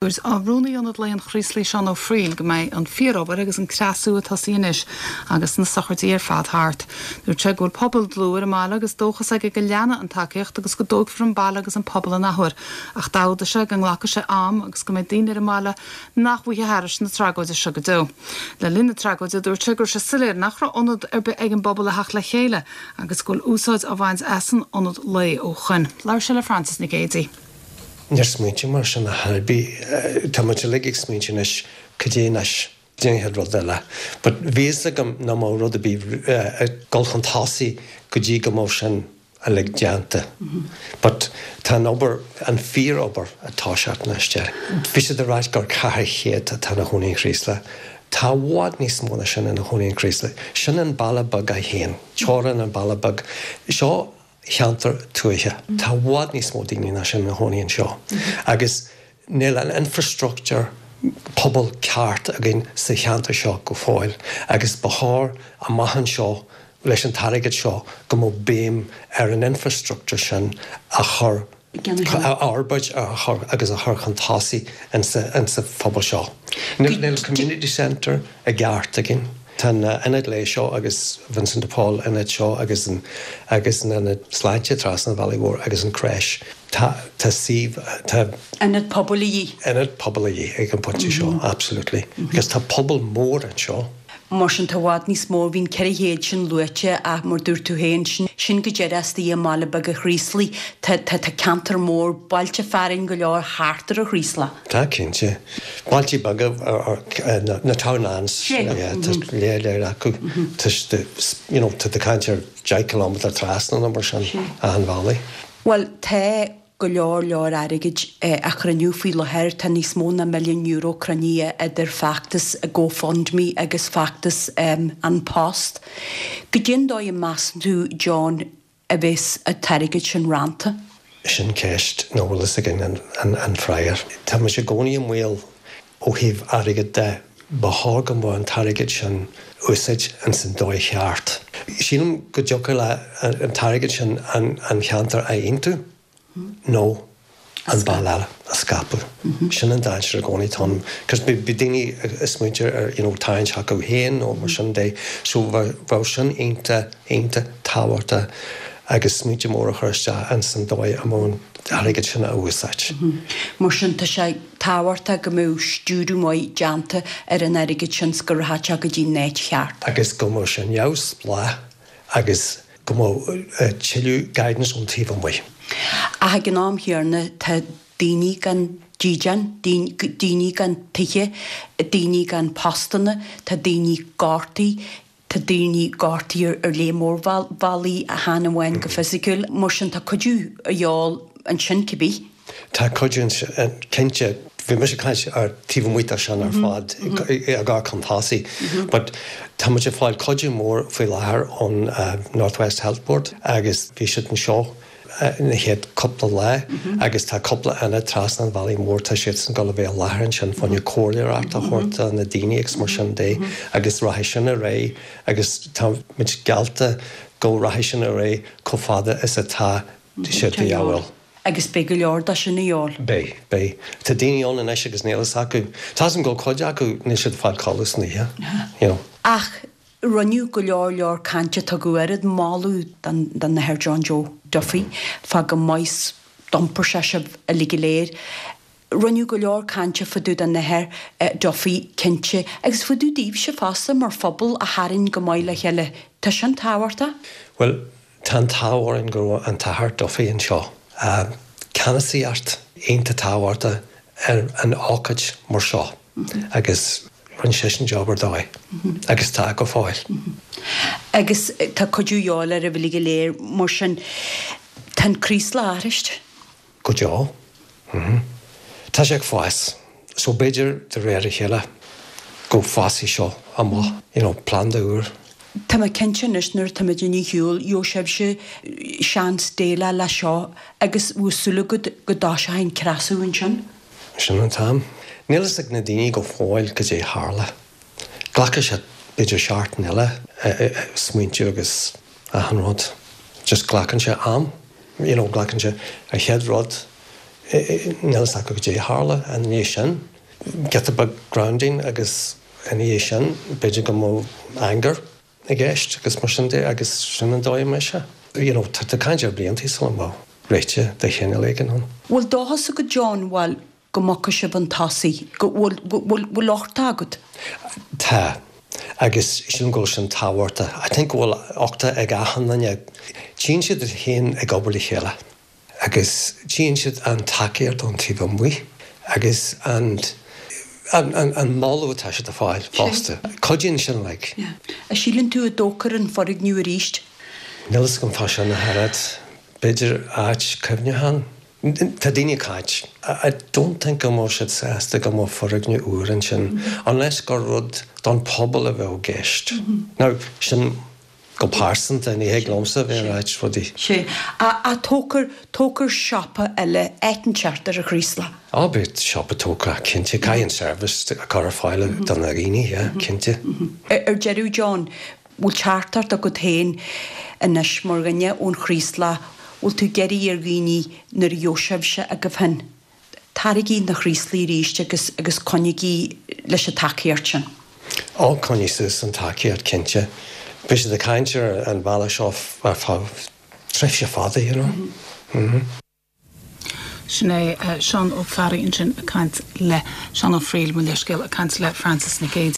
Dúirt Rúnaí Ionad Lae an Chraoslaigh Seán Ó Fríl go mbeidh an fíor-obair agus an creasú ag tosaí anois agus na sochraidí ar fad thart. Dúirt sé go bhfuil pobal dlúth ar an mbaile agus dóchas aige go leanfaidh an tacaíocht agus go dtógfar an baile agus an pobal an athuair ach d'fhógair sé go nglacfaidh sé am agus go mbeidh daoine ar an mbaile nach bhfaighidh thairis na tragóide seo go deo. Le linn na tragóide dúirt sé go raibh sé soiléir nach raibh ionad ar bith ag an bpobal le theacht le chéile agus go bhfuil úsáid á bhaint as an ionad lae ó shoin. Labhair sé le Frances Nic Géadaigh. Níor smaointigh mar sin ar chor ar bith. Tá muid uilig ag smaointiú anois, cad é anois? Cad é an chéad rud eile? But bhí fhios agam nach mbeadh rud ar bith ag dul chun tosaigh go dtí go mbeadh sin uilig déanta. But tá an obair, an fíor-obair ag toiseacht anois. Bhí siad ag ráit gur 400 atá ina chónaí in Chraoslach. Tá i bhfad níos mó ná sin ina chónaí in Chraoslach. Sin an baile beag é féin, teorainn an baile beag. Seo cheantar tuaithe. Tá i bhfad níos mó daoine ná sin ina chónaí anseo agus níl an infrastructure pobail ceart againn sa cheantar seo go fóill agus ba chóir amach anseo leis an t-airgead seo go mbeadh béim ar an infrastructure sin a chur a fhorbairt a chur agus a chur chun tosaigh insa phobal seo. Níl community centre i gceart againn. Tá an ionad lae seo agus Vincent de Paul ionad seo agus an agus an ionad sláinte trasna an bhealaigh mhóir agus an crèche. Tá tá suíomh tá. Ionad pobail a dhíth. Ionad pobail a dhíth ag an bpointe seo, absolutely. Agus tá pobal mór anseo. Mar sin tá i bhfad níos mó, bhí an 400 sin luaite ach mar dúirt tú féin, sin, sin go díreach istigh i mbaile beag an Chraoslaigh. Tá, tá, tá ceantar mór, bailte fearainn go leor thart ar an Chraoslach. Tá, cinnte. Bailte beaga, na townlands, yeah, tá lear lear acu. Tá, you know, tá tú ag caint ar 10 kilometre trasna nó mar sin, achan bhealaigh. Bhuel, tá go leor leor airgid á chruinniú faoi láthair. Tá níos mó ná €1,000,000 cruinnithe idir feachtas GoFundMe agus feachtas An Post. Goidé an dóigh a measann tú, John, a bheas an t-airgead sin rannta? Sin ceist nach bhfuil fhios againn an freagra. Tá muid i gcónaí i mbaol ó thaobh airgid de. Ba chóir go mbeadh an t-airgead sin úsáid ins an dóigh cheart. Sílim go dtiocfadh le an t-airgead sin an cheantar a aontú nó an baile eile a scaipeadh. Sin an dainséar i gcónaí atá ann. Cos bhí daoine ag smaointiú ar you know tarraingt chucu féin nó mar sin de. So bheadh sin iontach, iontach tábhachtach agus smaointe mór a chur isteach ins an dóigh a mbeadh an t-airgead sin á úsáid. Mar sin tá sé tábhachtach go mbeadh stiúradh maith déanta ar an airgead sin 's go rachadh sé go dtí an áit cheart. Agus go mbeadh sé neamhspleách agus go mbeadh tuilleadh guidance ón taobh amuigh. Ach ag an am chéanna tá daoine gan dídean, daoine gan tithe, daoine gan postanna, tá daoine gortaithe, Tá daoine gortaithe ar lear mór bealaí, chan amháin go fisiciúil. Mar sin tá cuidiú a dhíobháil ansin cibé. Tá cuidiú ansin, cinnte. Bhí mise ag caint ar taobh amuigh de sin ar fad, ag amharc chun tosaigh. But tá muid ag fáil cuidiú mór faoi láthair ón North West Health Board agus bhí siad anseo na chéad cúpla lá agus tá cúpla ionad trasna an bhealaigh mhóir, tá siadsan ag dul a bheith i láthair ansin fá choinne comhairleoireacht a thabhairt do na daoine agus mar sin de agus rachaidh sin ar aghaidh agus tá muid geallta go rachaidh sin ar aghaidh chomh fada is atá siad de dhíobháil. Agus beidh go leor de sin a dhíobháil. Beidh, beidh. Tá daoine ann anois agus níl fhios acu. Tá 'fhios agam go bhfuil cuid acu, níl siad ag fáil codladh san oíche, you know. Ach Rinneadh go leor leor cainte, tugadh oiread moladh don Athair John Joe Duffy fá chomh maith 's d'iompair sé sibh uilig go léir. Rinneadh go leor cainte fá dtaobh den Athair Duffy cinnte, agus fá dtaobh daoibhse fosta mar phobal a tharraing go maith le chéile. Tá sin tábhachtach. Bhuel, tá an t-ádh orainn go raibh an tAthair Duffy anseo. Ceannasaíocht iontach tábhachtach ar an ócáid mar seo agus rinne seisean job ar dóigh agus tá go fóill. Agus tá cuidiú a dhíobháil oraibh uilig go léir mar sin. Tá an Craoslach athraithe. Go deo. Tá sé ag fás. So b'fhéidir de réir a chéile go bhfásfaidh seo amach, you know, planda úr. Tá mé cinnte anois nuair atá muid ar shiúl, gheobhaidh sibhse seans déileáil leis seo agus bhfuil súil agat go dtoiseoidh an creasú ansin? Sin an t-am. Níl fhios ag na daoine go fóill cad é tharla. Glacfaidh sé b'fhéidir seachtain eile smaointiú agus achan rud. Just glacann sé am. You know, glacann sé an chéad rud. Níl a fhios acu cad é a tharla ina dhiaidh sin. Giota beag grounding agus ina dhiaidh sin b'fhéidir go mbeadh anger i gceist agus mar sin de agus sin an dóigh a mbeidh sé. You know, tá tú ag caint ar blianta sula mbeadh réiteach de chineál éigin ann. Bhfuil dóchas agat John, bhuel, go mbogfaidh sibh chun tosaigh, go bhfuil, bhfuil, bhfuil uchtach agat? Tá. Agus sílim go bhfuil sin tábhachtach. I think go bhfuil uchtach ag achan duine. Tchíonn siad iad féin ag obair le chéile. Agus tchíonn siad an tacaíocht ón taobh amuigh agus an an moladh atá siad a fáil fosta. Cuidíonn sin like. An síleann tú a dtógfar an foirgneamh arís? Níl fhios agam fá sin ach oiread. B'fhéidir áit cuimhneacháin. Tá daoine ag caint. I don't think go mbeadh siad sásta go mbeadh foirgneamh úr ansin unless gur rud don pobal a bheadh i gceist. Now, sin Go pearsanta, ní thig liomsa a bheith ag ráit rudaí. Sea. Ach tógfar, tógfar siopa eile, áit inteacht ar an Chraoslach. Á, beidh siopa tógtha, cinnte. Caithfidh an service a chur ar fáil do na daoine, yeah, cinnte. Ar deireadh, John, bhfuil teachtaireacht agat féin anois mar dhuine ón Chraoslach, bhfuil tú ag iarraidh ar dhaoine nuair a gheobhaidh sibhse agaibh féin, Taraigí 'na Chraoslaigh arís agus agus coinnigí leis an tacaíocht sin. Ó, coinnigh suas an tacaíocht, cinnte. Beidh siad ag caint ar an bhealach seo ar feadh tréimhse fada, you know. Sin é Seán Ó Fearraigh ansin ag caint le Seán Ó Frighil, mo leithscéal, ag caint le Frances Nic Géadaigh.